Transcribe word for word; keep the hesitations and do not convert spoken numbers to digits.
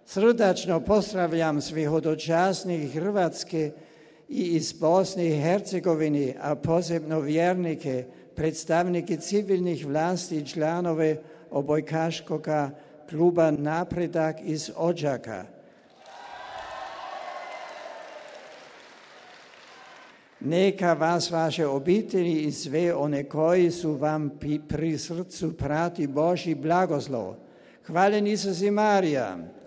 Srdačno pozdravljam svih hodočasnih Hrvatske i iz Bosne i Hercegovine, a posebno vjernike, predstavnike civilnih vlasti i članove obojkaškog kluba Napredak iz Odžaka. Neka vas vaše obitelji i sve one koji su vam pri srcu prati Božji blagoslov. Hvaljen Isus i Marija.